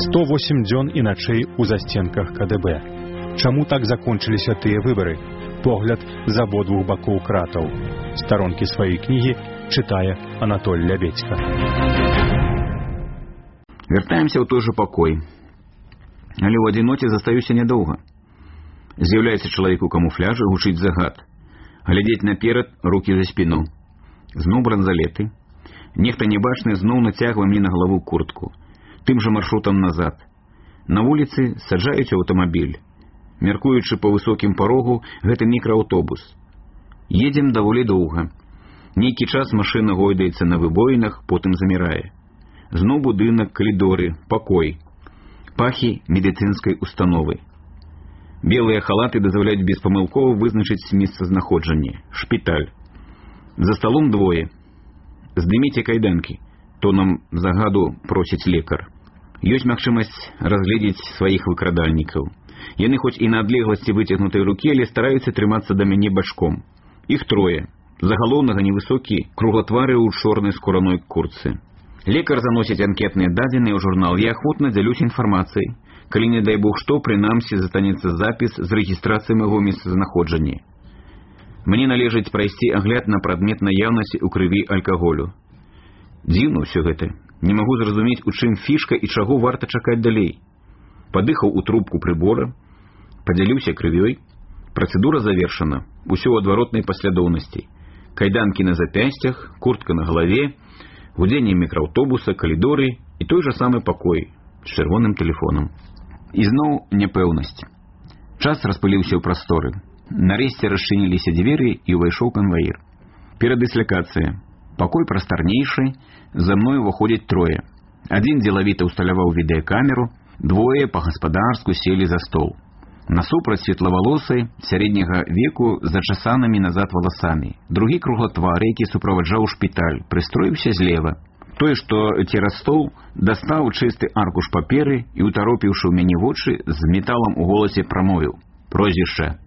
108 дзён і начэй у засценках КДБ. Чаму так закончыліся тыя выбары? Погляд з абодвух бакоў кратаў. Старонкі сваёй кнігі чытае Анатоль Лябедзька. Вяртаемся ў той жа пакой. Але ў адзіноце застаюся нядоўга. З'яўляецца чалавек у камуфляжы, гучыць загад. Глядзець наперад, рукі за спіну. Зноў бранзалеты. Нехта небачны зноў нацягвае мне на галаву куртку. Тым жа маршрутам назад. На вуліцы саджаюць аўтамабіль. Мяркуючы па высокім парогу, гэта мікрааўтобус. Едзем даволі доўга. Нейкі час машына гойдаецца на выбоінах, потым замірае. Зноў будынак, калідоры, пакой. Пахі медыцынскай установы. Белыя халаты дазваляюць беспамылкова вызначыць месцазнаходжанне. Шпіталь. За сталом двое. Здыміце кайданкі. Тонам загаду просіць лекар. Ёсць магчымасць разгледзець сваіх выкрадальнікаў. Яны хоць і на адлегласці выцягнутай рукі, але стараюцца трымацца да мяне бачком. Іх трое. За галоўнага невысокі, круглатвары ў чорнай скураной куртцы. Лекар заносіць анкетныя дадзеныя ў журнал. Я ахвотна дзялюсь інфармацыяй. Калі, не дай бог што, прынамсі застанецца запіс з рэгістрацыяй майго месцазнаходжання. Мне належыць прайсці агляд на прадмет наяўнасці ў крыві алкаголю. Дзіўна ўсё гэта. Не магу зразумець, у чым фішка і чаго варта чакаць далей. Падыхаў у трубку прыбора, падзяліўся крывёй. Працэдура завершана. Усё ў адваротнай паслядоўнасці. Кайданкі на запясцях, куртка на галаве, гудзенне мікрааўтобуса, калідоры і той жа самы пакой з чырвоным тэлефонам. І зноў няпэўнасць. Час распыліўся ў прасторы. Нарэшце расчыніліся дзверы і ўвайшоў канваір. Перадыслякацыя. Пакой прастарнейшы, за мной уваходзяць трое. Адзін дзелавіта ўсталяваў відэакамеру, двое па-гаспадарску селі за стол. Насупраць светлавалосы, сярэдняга веку з зачасанымі назад валасамі. Другі круглатвары, які суправаджаў шпіталь, прыстроіўся злева. Той, што цераз стол, дастаў чысты аркуш паперы і, утаропіўшы ў мяне вочы, з металам у голасе прамовіў. Прозвішча.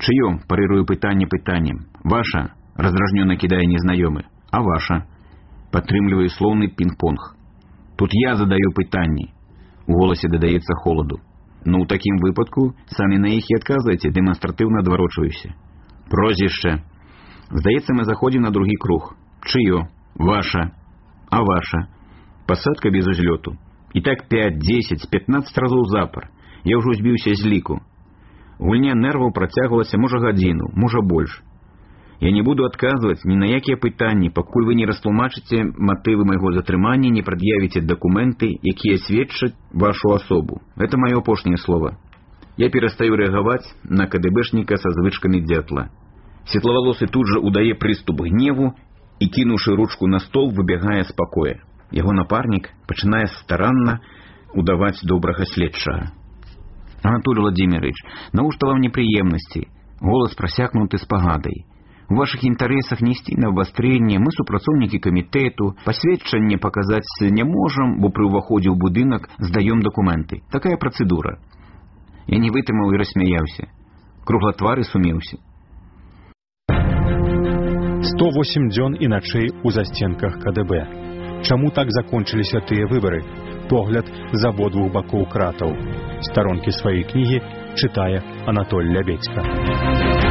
Чыё? Парырую пытанне пытаннем. Ваша? Раздражнёна кідае незнаёмы. А ваша? Падтрымліваю слоўны пінг-понг. Тут я задаю пытанні. У голасе дадаецца холаду. Ну, ў такім выпадку самі на іх і адказвайце, дэманстратыўна адварочваюся. Прозвішча. Здаецца, мы заходзім на другі круг. Чыё? Ваша. А ваша? Пасадка без узлёту. І так 5, 10, 15 разоў запар. Я ўжо збіўся з ліку. Гульня нерваў працягвалася, можа, гадзіну, можа, больш. Я не буду адказваць ні на якія пытанні, пакуль вы не растлумачыце матывы майго затрымання, не прад'явіце дакументы, якія сведчаць вашу асобу. Гэта маё апошняе слова. Я перастаю рэагаваць на КДБшніка са звычкамі дзятла. Светлавалосы тут жа удае прыступ гневу і, кінуўшы ручку на стол, выбягае з пакоя. Яго напарнік пачынае старанна удаваць добрага следчага. Анатолий Владимирович, навошта вам непрыемнасці? Голас прасякнуты спагадай. У вашых інтарэсах несці на абвастрэнне, мы супрацоўнікі камітэту, пасведчанне паказаць не можам, бо пры ўваходзе ў будынак здаём дакументы. Такая працэдура. Я не вытрымаў і рассмяяўся. Круглатвары сумеўся. 108 дзён і начэй у засценках КДБ. Чаму так закончыліся тыя выбары? Погляд з абодвух бакоў кратаў. Старонкі сваёй кнігі чытае Анатоль Лябедзька.